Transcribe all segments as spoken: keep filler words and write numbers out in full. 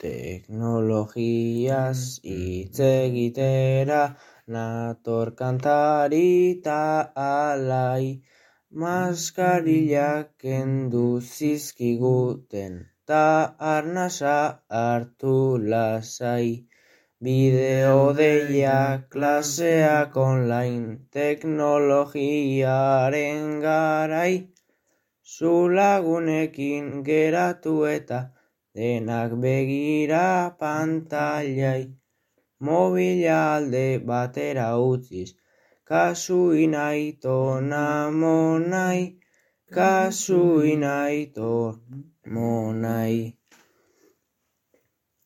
Teknologiaz hitz egitera nator kantari ta alai, maskarillak kendu zizkiguten ta arnasa hartu lasai. Bideo deia klaseak online, teknologiaren garai, zu lagunekin geratu eta denak begira pantailai. Mobila alde batera utziz, kasu inaito namonai, kasu inaito monai.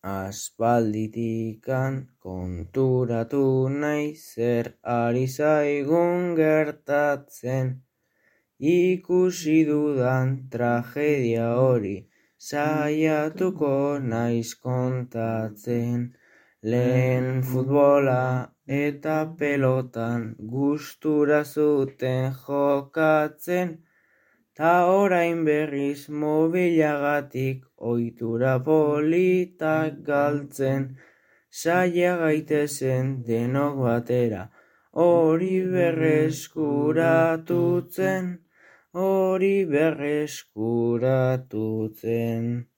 Aspalditikan konturatu nahi zer ari zaigun gertatzen, ikusi dudan tragedia hori saiatuko naiz kontatzen. Lehen futbola eta pelotan gustura zuten jokatzen, ta orain berriz mobilagatik ohitura politak galtzen. Saia gaitezen denok batera, hori berreskuratutzen, hori berreskuratutzen.